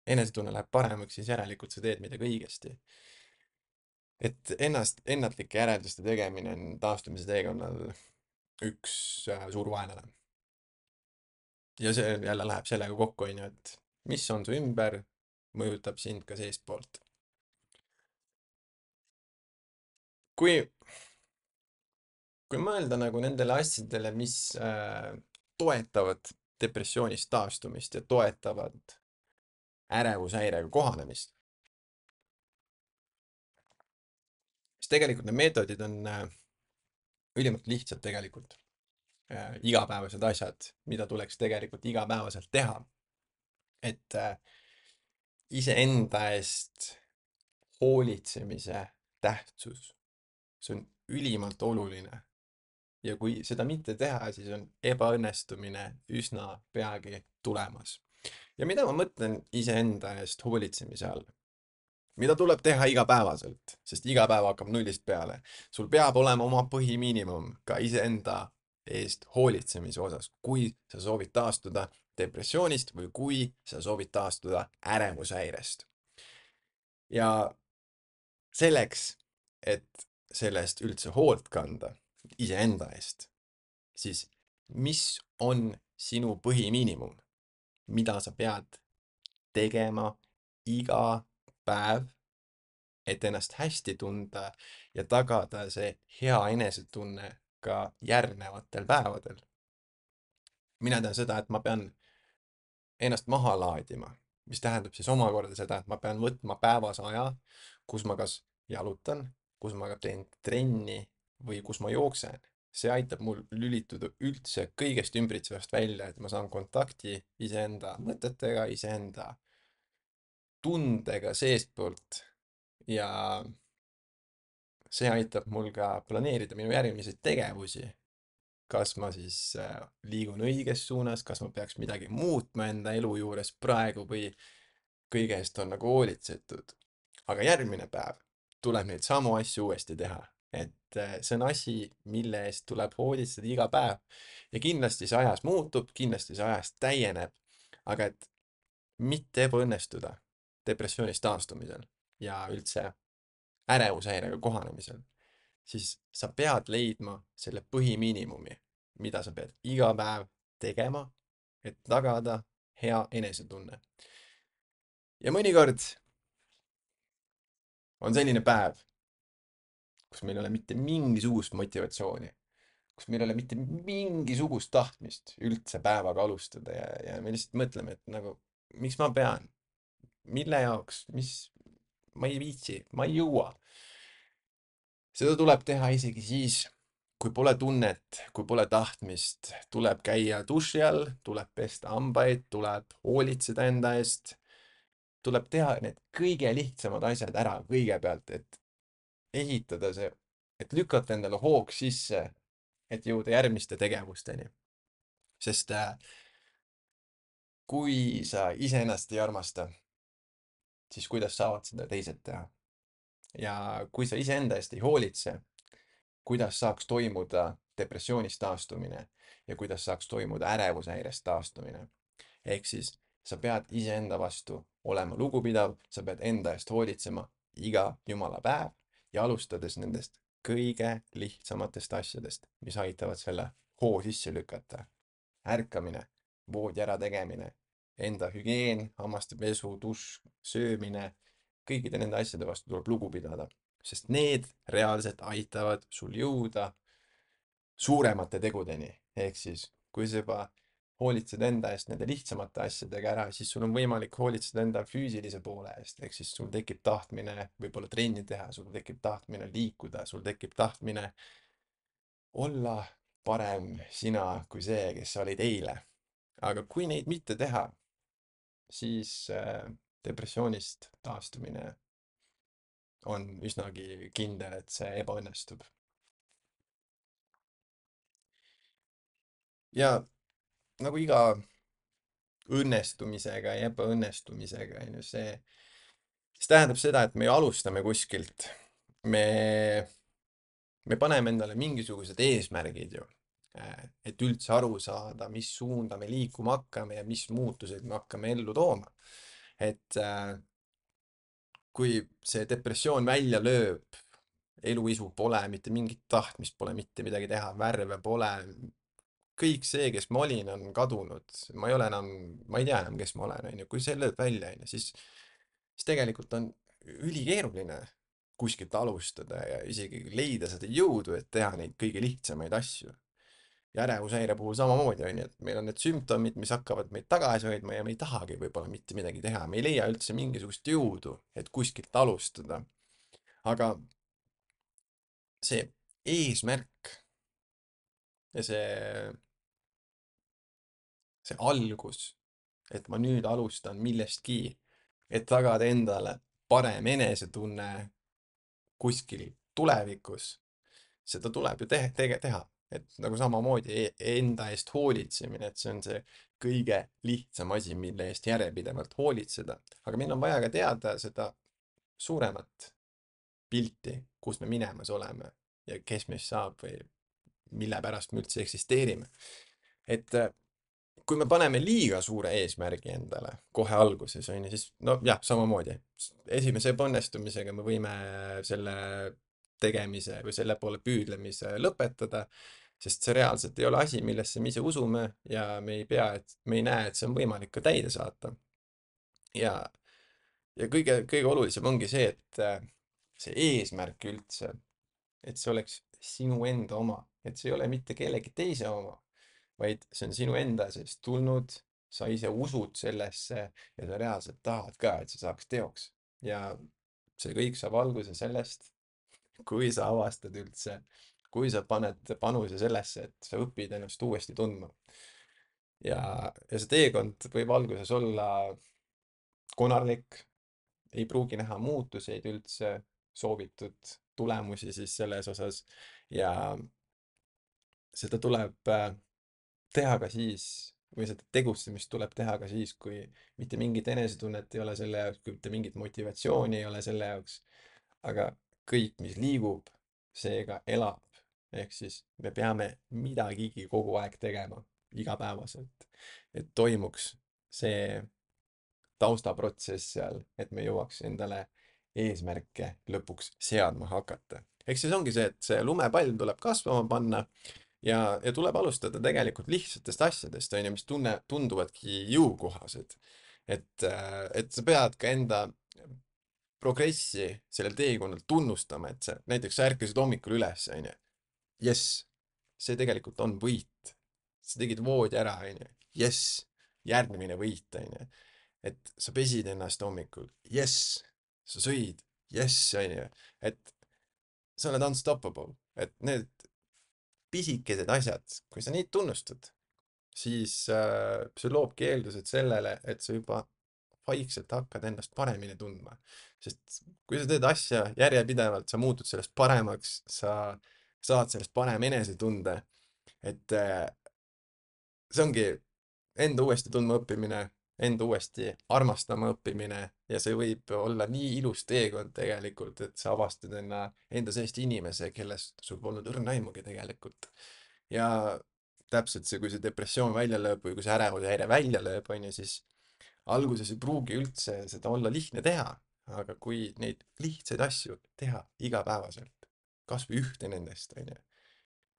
enesetunne läheb paremaks, siis järelikult sa teed midagi õigesti. et ennatlike järelduste tegemine on taastumise teekonnal üks suur vaenlane. ja see jälle läheb sellega kokku, onju, et mis on su ümber, mõjutab sind ka seestpoolt. kui, kui mõelda nagu nendele asjadele, mis toetavad depressioonist taastumist ja toetavad ärevushäirega kohanemist, siis tegelikult need meetodid on ülimalt lihtsad tegelikult. Igapäevased asjad, mida tuleks tegelikult igapäevaselt teha. et iseenda eest hoolitsemise tähtsus, see on ülimalt oluline. ja kui seda mitte teha, siis on ebaõnnestumine üsna peagi tulemas. ja mida ma mõtlen iseenda eest hoolitsemise all? mida tuleb teha igapäevaselt, sest iga päev hakkab nullist peale. sul peab olema oma põhimiinimum ka iseenda eest hoolitsemise osas, kui sa soovid taastuda depressioonist või kui sa soovid taastuda ärevushäirest. ja selleks, et selle eest üldse hoolt kanda, iseenda eest, siis mis on sinu põhimiinimum, mida sa pead tegema iga päev, et ennast hästi tunda ja tagada see hea enesetunne ka järgnevatel päevadel. mina tean seda, et ma pean ennast maha laadima, mis tähendab siis omakorda seda, et ma pean võtma päevas aja, kus ma kas jalutan, kus ma teen trenni või kus ma jooksen. see aitab mul lülituda üldse kõigest ümbritsevast välja, et ma saan kontakti iseenda mõtetega, iseenda tundega seestpoolt ja see aitab mul ka planeerida minu järgmisi tegevusi. kas ma siis liigun õiges suunas, kas ma peaks midagi muutma enda elu juures praegu või kõige eest on nagu hoolitsetud. aga järgmine päev tuleb neid samu asju uuesti teha. et see on asi, mille eest tuleb hoolitseda iga päev. ja kindlasti see ajas muutub, kindlasti see ajas täieneb. aga et mitte ebaõnnestuda depressioonist taastumisel ja üldse ärevushäirega kohanemisel, siis sa pead leidma selle põhimiinimumi, mida sa pead iga päev tegema, et tagada hea enesetunne. ja mõnikord on selline päev, kus meil ei ole mitte mingisugust motivatsiooni, kus meil ei ole mitte mingisugust tahtmist üldse päevaga alustada ja me lihtsalt mõtleme, et nagu, miks ma pean, mille jaoks, ma ei viitsi, ma ei jõua. seda tuleb teha isegi siis, kui pole tunnet, kui pole tahtmist, tuleb käia duši all, tuleb pesta hambaid, tuleb hoolitseda enda eest, tuleb teha need kõige lihtsamad asjad ära kõigepealt, et ehitada see, et lükata endale hoog sisse, et jõuda järgmiste tegevusteni. sest kui sa iseennast ei armasta, siis kuidas saavad seda teised teha? ja kui sa iseenda eest ei hoolitse, kuidas saaks toimuda depressioonist taastumine ja kuidas saaks toimuda ärevushäirest taastumine. ehk siis sa pead iseenda vastu olema lugupidav, sa pead enda eest hoolitsema iga jumala päev ja alustades nendest kõige lihtsamatest asjadest, mis aitavad selle hoo sisse lükata. ärkamine, voodi ärategemine, enda hügieen, hammaste pesu, dušš, söömine, kõikide nende asjade vastu tuleb lugu pidada, sest need reaalselt aitavad sul jõuda suuremate tegudeni. ehk siis, kui sa juba hoolitsed enda eest nende lihtsamate asjadega ära, siis sul on võimalik hoolitseda enda füüsilise poole eest, ehk siis sul tekib tahtmine võib-olla trenni teha, sul tekib tahtmine liikuda, sul tekib tahtmine olla parem sina kui see, kes sa olid eile. aga kui neid mitte teha, siis depressioonist taastumine on üsnagi kindel, et see ebaõnnestub. ja nagu iga õnnestumisega ja ebaõnnestumisega, on ju, see tähendab seda, et me ju alustame kuskilt. me, me paneme endale mingisugused eesmärgid ju, et üldse aru saada, mis suunda me liikuma hakkame ja mis muutuseid me hakkame ellu tooma. et kui see depressioon välja lööb, eluisu pole, mitte mingit tahtmist pole mitte midagi teha, värve pole, kõik see, kes ma olin, on kadunud, ma ei ole enam, ma ei tea enam, kes ma olen, onju, kui see lööb välja, onju, siis tegelikult on ülikeeruline kuskilt alustada ja isegi leida seda jõudu, et teha neid kõige lihtsamaid asju. ja ärevushäire puhul samamoodi onju, et meil on need sümptomid, mis hakkavad meid tagasi hoidma ja me ei tahagi võib-olla mitte midagi teha, me ei leia üldse mingisugust jõudu, et kuskilt alustada. aga see eesmärk ja see algus, et ma nüüd alustan millestki, et tagada endale parem enesetunne kuskil tulevikus, seda tuleb ju teha. et nagu samamoodi enda eest hoolitsemine, et see on see kõige lihtsam asi, mille eest järjepidevalt hoolitseda. aga meil on vaja ka teada seda suuremat pilti, kus me minemas oleme ja kes meist saab või mille pärast me üldse eksisteerime. et kui me paneme liiga suure eesmärgi endale kohe alguses, on ju, siis no jah, samamoodi. esimese ebaõnnestumisega me võime selle tegemise või selle poole püüdlemise lõpetada, sest see reaalselt ei ole asi, millesse me ise usume ja me ei näe, et see on võimalik ka täide saata. ja, ja kõige olulisem ongi see, et see eesmärk üldse, et see oleks sinu enda oma, et see ei ole mitte kellegi teise oma, vaid see on sinu enda seest tulnud, sa ise usud sellesse ja sa reaalselt tahad ka, et see saaks teoks. ja see kõik saab alguse sellest, kui sa avastad üldse, kui sa paned panuse sellesse, et sa õpid ennast uuesti tundma. ja see teekond võib alguses olla konarlik, ei pruugi näha muutuseid üldse, soovitud tulemusi siis selles osas ja seda tuleb teha ka siis, või seda tegutsemist tuleb teha ka siis, kui mitte mingit enesetunnet ei ole selle jaoks, kui mitte mingit motivatsiooni ei ole selle jaoks, aga kõik, mis liigub, see ka elab. ehk siis me peame midagigi kogu aeg tegema, igapäevaselt, et toimuks see taustaprotsess seal, et me jõuaks endale eesmärke lõpuks seadma hakata. ehk siis ongi see, et see lumepall tuleb kasvama panna ja tuleb alustada tegelikult lihtsatest asjadest, on ju, mis tunduvadki jõukohased. et sa pead ka enda progressi sellel teekonnal tunnustama, et näiteks sa ärkasid hommikul üles, on ju. Jess, see tegelikult on võit. sa tegid voodi ära, on ju. Jess, järgmine võit, on ju. et sa pesid ennast hommikul. Jess, sa sõid. Jess, on ju. et sa oled unstoppable, et need pisikesed asjad, kui sa neid tunnustad, siis see loobki eeldused sellele, et sa juba vaikselt hakkad ennast paremini tundma. sest kui sa teed asja järjepidevalt, sa muutud sellest paremaks, sa saad sellest parema enesetunde, et see ongi enda uuesti tundma õppimine, enda uuesti armastama õppimine ja see võib olla nii ilus teekond tegelikult, et sa avastad enda seest inimese, kellest sul polnud õrna aimugi tegelikult. ja täpselt see, kui see depressioon välja lööb või kui see ärevushäire välja lööb, on ju, siis alguses ei pruugi üldse seda olla lihtne teha, aga kui neid lihtsaid asju teha igapäevaselt, kas või ühte nendest, on ju,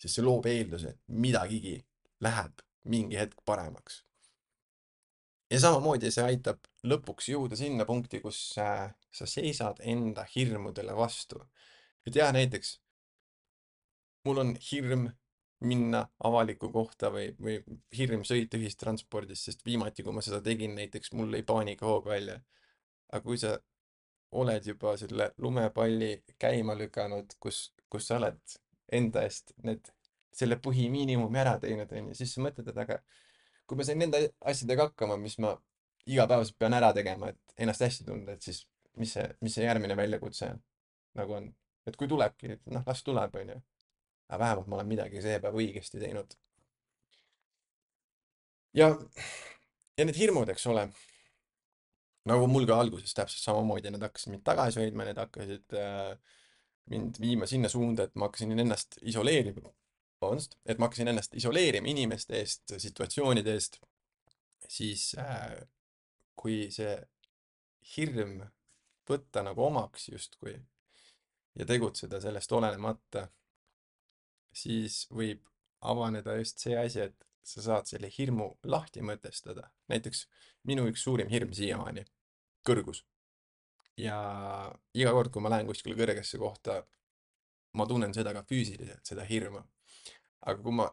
siis see loob eelduse, et midagigi läheb mingi hetk paremaks. ja samamoodi see aitab lõpuks jõuda sinna punkti, kus sa seisad enda hirmudele vastu. et jah, näiteks mul on hirm minna avalikku kohta või hirm sõita ühistranspordis, sest viimati, kui ma seda tegin, näiteks mul lõi paanikahoog välja. aga kui sa oled juba selle lumepalli käima lükanud, kus sa oled enda eest selle põhimiinimumi ära teinud, onju, siis sa mõtled, et aga kui ma sain nende asjadega hakkama, mis ma igapäevaselt pean ära tegema, et ennast hästi tunda, et siis mis see järgmine väljakutse nagu on. et kui tulebki, noh, las tuleb, onju. aga vähemalt ma olen midagi see päev õigesti teinud. ja, ja need hirmud, eks ole, nagu mul ka alguses täpselt samamoodi, need hakkasid mind tagasi hoidma, need hakkasid mind viima sinna suunda, et ma hakkasin ennast isoleerima, vabandust, et ma hakkasin ennast isoleerima inimeste eest, situatsioonide eest, siis kui see hirm võtta nagu omaks justkui ja tegutseda sellest olenemata, siis võib avaneda just see asi, et sa saad selle hirmu lahti mõtestada. näiteks minu üks suurim hirm siiamaani, kõrgus. Ja iga kord, kui ma lähen kuskile kõrgesse kohta, ma tunnen seda ka füüsiliselt, seda hirmu. Aga kui ma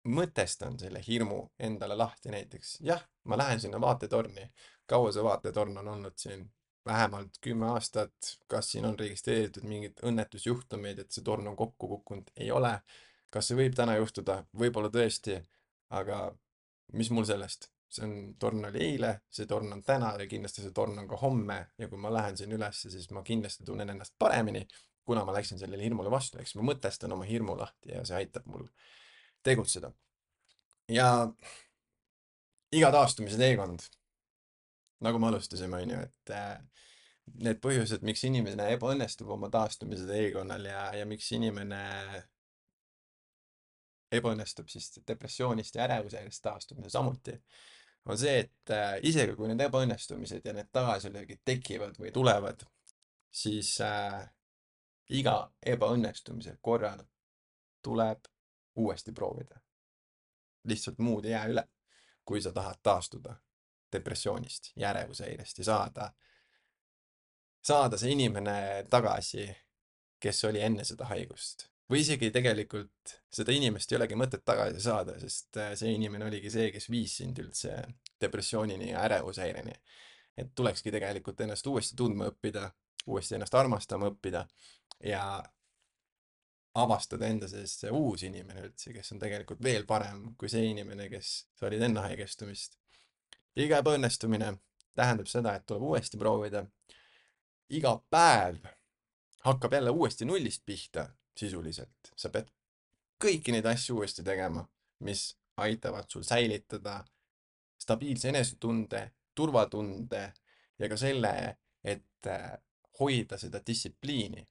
mõtestan selle hirmu endale lahti näiteks, jah, ma lähen sinna vaatetorni. Kaua see vaatetorn on olnud siin? Vähemalt 10 aastat. Kas siin on registreeritud mingid õnnetusjuhtumeid, et see torn on kokku kukkunud? Ei ole. Kas see võib täna juhtuda? Võib-olla tõesti, aga mis mul sellest? See on, torn oli eile, see torn on täna ja kindlasti see torn on ka homme ja kui ma lähen siin ülesse, siis ma kindlasti tunnen ennast paremini, kuna ma läksin sellele hirmule vastu, eks ma mõtestan oma hirmu lahti ja see aitab mul tegutseda. Ja iga taastumise teekond, nagu me alustasime, on ju, et need põhjused, miks inimene ebaõnnestub oma taastumise teekonnal ja miks inimene ebaõnnestub siis depressioonist ja ärevusest taastumisel samuti, on see, et isegi kui need ebaõnnestumised ja need tagasilöögid tekivad või tulevad, siis iga ebaõnnestumise korral tuleb uuesti proovida. Lihtsalt muud ei jää üle, kui sa tahad taastuda depressioonist ja ärevushäirest ja saada see inimene tagasi, kes oli enne seda haigust. Või isegi tegelikult seda inimest ei olegi mõtet tagasi saada, sest see inimene oligi see, kes viis sind üldse depressioonini ja ärevushäireni. Et tulekski tegelikult ennast uuesti tundma õppida, uuesti ennast armastama õppida ja avastada enda sees see uus inimene üldse, kes on tegelikult veel parem kui see inimene, kes sa olid enne haigestumist. Iga ebaõnnestumine tähendab seda, et tuleb uuesti proovida. Iga päev hakkab jälle uuesti nullist pihta sisuliselt. Sa pead kõiki neid asju uuesti tegema, mis aitavad sul säilitada stabiilse enesetunde, turvatunde ja ka selle, et hoida seda distsipliini,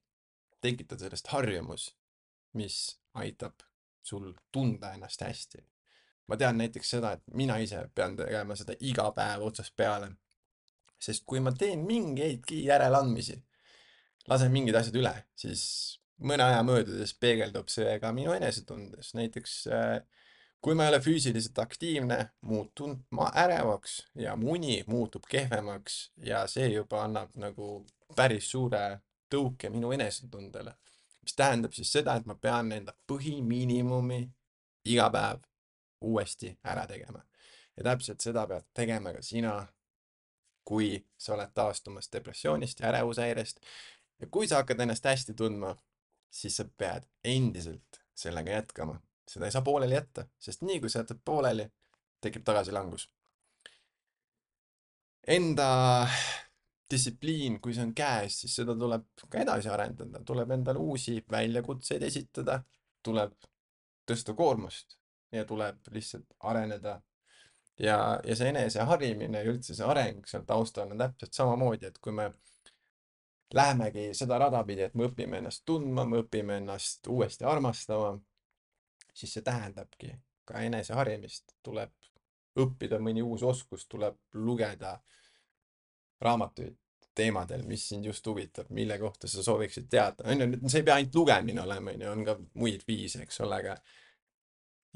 tekitada sellest harjumus, mis aitab sul tunda ennast hästi. Ma tean näiteks seda, et mina ise pean tegema seda iga päev otsast peale, sest kui ma teen mingeidki järeleandmisi, lasen mingid asjad üle, siis mõne aja möödudes peegeldub see ka minu enesetundes. Näiteks kui ma ei ole füüsiliselt aktiivne, muutun ma ärevaks ja mu uni muutub kehvemaks ja see juba annab nagu päris suure tõuke minu enesetundele. Mis tähendab siis seda, et ma pean enda põhimiinimumi iga päev uuesti ära tegema. Ja täpselt seda pead tegema ka sina, kui sa oled taastumas depressioonist ja ärevushäirest. Ja kui sa hakkad ennast hästi tundma, siis sa pead endiselt sellega jätkama. Seda ei saa pooleli jätta, sest nii kui sa jätad pooleli, tekib tagasilangus. Enda distsipliin, kui see on käes, siis seda tuleb ka edasi arendada, tuleb endale uusi väljakutseid esitada, tuleb tõsta koormust ja tuleb lihtsalt areneda. Ja see eneseharimine ja üldse see areng seal taustal on täpselt samamoodi, et kui me lähemegi seda rada pidi, et me õpime ennast tundma, me õpime ennast uuesti armastama, siis see tähendabki ka eneseharimist, tuleb õppida mõni uus oskus, tuleb lugeda raamatuid teemadel, mis sind just huvitab, mille kohta sa sooviksid teada. On ju, see ei pea ainult lugemine olema, on ju, on ka muid viise, eks ole, aga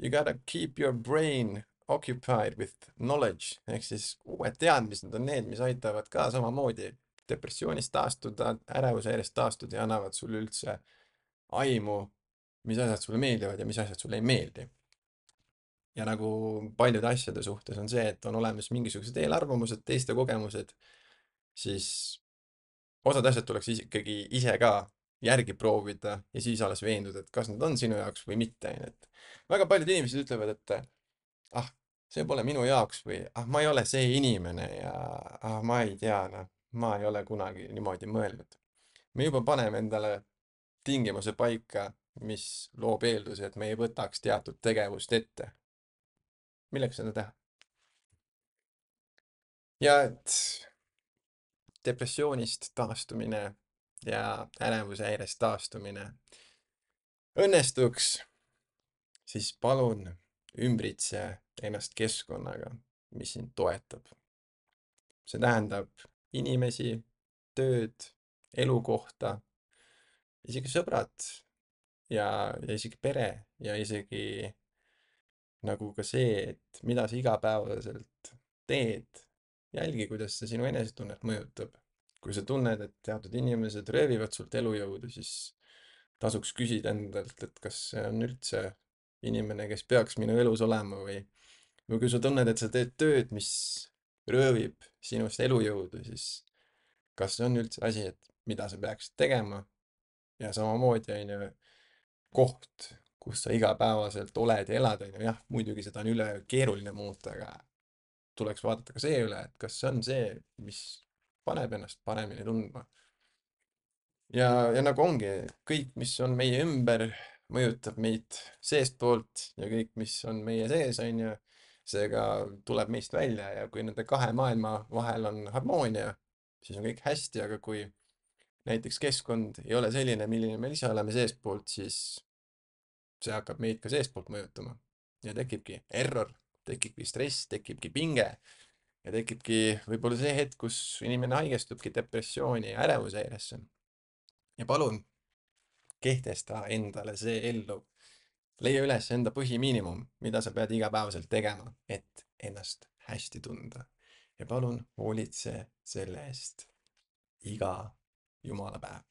you gotta keep your brain occupied with knowledge ehk siis uued teadmised on need, mis aitavad ka samamoodi depressioonist taastuda, ärevushäirest taastuda ja annavad sulle üldse aimu, mis asjad sulle meeldivad ja mis asjad sulle ei meeldi. Ja nagu paljude asjade suhtes on see, et on olemas mingisugused eelarvamused, teiste kogemused, siis osad asjad tuleks ikkagi ise ka järgi proovida ja siis alles veenduda, et kas need on sinu jaoks või mitte. Et väga paljud inimesed ütlevad, et ah, see pole minu jaoks või ah, ma ei ole see inimene ja ah, ma ei tea, noh, ma ei ole kunagi niimoodi mõelnud. Me juba paneme endale tingimuse paika, mis loob eelduse, et me ei võtaks teatud tegevust ette. Milleks seda teha? ja et depressioonist taastumine ja ärevushäirest taastumine õnnestuks, siis palun ümbritse ennast keskkonnaga, mis sind toetab. See tähendab inimesi, tööd, elukohta, isegi sõbrad ja isegi pere ja isegi nagu ka see, et mida sa igapäevaselt teed. Jälgi, kuidas see sinu enesetunnet mõjutab. Kui sa tunned, et teatud inimesed röövivad sult elujõudu, siis tasuks küsida endalt, et kas see on üldse inimene, kes peaks minu elus olema või kui sa tunned, et sa teed tööd, mis röövib sinust elujõudu, siis kas see on üldse asi, et mida sa peaksid tegema ja samamoodi on ju koht, kus sa igapäevaselt oled ja elad, on ju, jah, muidugi seda on üle keeruline muuta, aga tuleks vaadata ka see üle, et kas see on see, mis paneb ennast paremini tundma. ja nagu ongi, kõik, mis on meie ümber, mõjutab meid seestpoolt ja kõik, mis on meie sees, on ju, seega tuleb meist välja ja kui nende kahe maailma vahel on harmoonia, siis on kõik hästi, aga kui näiteks keskkond ei ole selline, milline me ise oleme seestpoolt, siis see hakkab meid ka seestpoolt mõjutama ja tekibki error, tekibki stress, tekibki pinge ja tekibki võib-olla see hetk, kus inimene haigestubki depressiooni ja ärevushäiresse. Ja palun kehtesta endale see ellu. Leia üles enda põhimiinimum, mida sa pead igapäevaselt tegema, et ennast hästi tunda. Ja palun hoolitse selle eest iga jumala päev.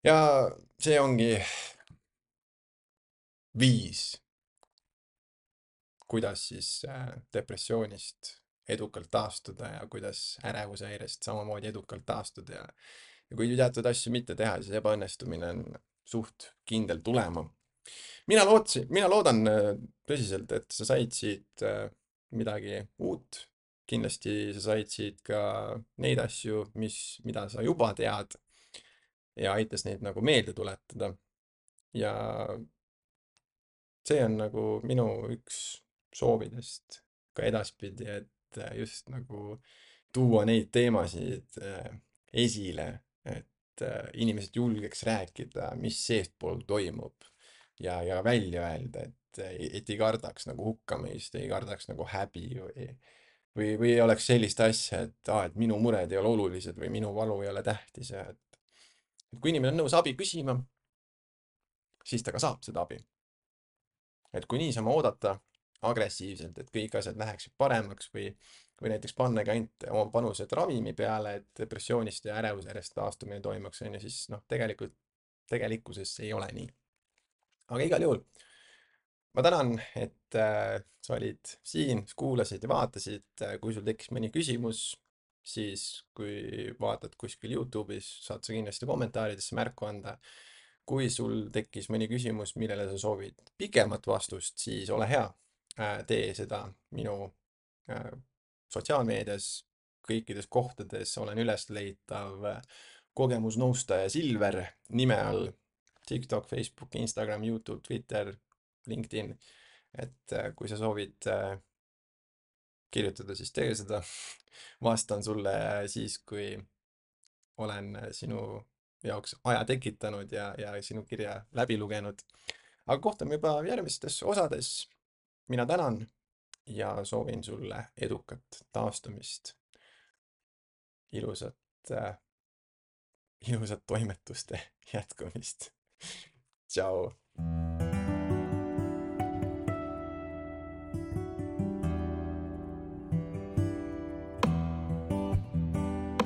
Ja see ongi viis, kuidas siis depressioonist edukalt taastuda ja kuidas ärevushäirest samamoodi edukalt taastuda ja kui teatud asju mitte teha, siis ebaõnnestumine on suht kindel tulema. Mina loodan tõsiselt, et sa said siit midagi uut. Kindlasti sa said siit ka neid asju, mida sa juba tead ja aitas neid nagu meelde tuletada. Ja see on nagu minu üks soovidest ka edaspidi, et just nagu tuua neid teemasid esile, et inimesed julgeks rääkida, mis seestpool toimub ja välja öelda, et ei kardaks nagu hukkamõist, ei kardaks nagu häbi või ei oleks sellist asja, et minu mured ei ole olulised või minu valu ei ole tähtis ja et kui inimene on nõus abi küsima, siis ta ka saab seda abi. Et kui niisama oodata agressiivselt, et kõik asjad läheksid paremaks või näiteks pannagi ainult oma panused ravimi peale, et depressioonist ja ärevusjärjest taastumine toimuks, on ju, siis noh, tegelikkuses see ei ole nii. Aga igal juhul ma tänan, et sa olid siin, kuulasid ja vaatasid. Kui sul tekkis mõni küsimus, siis kui vaatad kuskil Youtube'is, saad sa kindlasti kommentaaridesse märku anda. Kui sul tekkis mõni küsimus, millele sa soovid pikemat vastust, siis ole hea, tee seda minu sotsiaalmeedias, kõikides kohtades olen ülesleitav kogemusnõustaja Silver nime all. TikTok, Facebook, Instagram, Youtube, Twitter, LinkedIn. Et kui sa soovid kirjutada, siis tee seda. Vastan sulle siis, kui olen sinu jaoks aja tekitanud ja sinu kirja läbi lugenud. Aga kohtume juba järgmistes osades. Mina tänan ja soovin sulle edukat taastumist. Ilusat, ilusat toimetuste jätkumist. Tšau.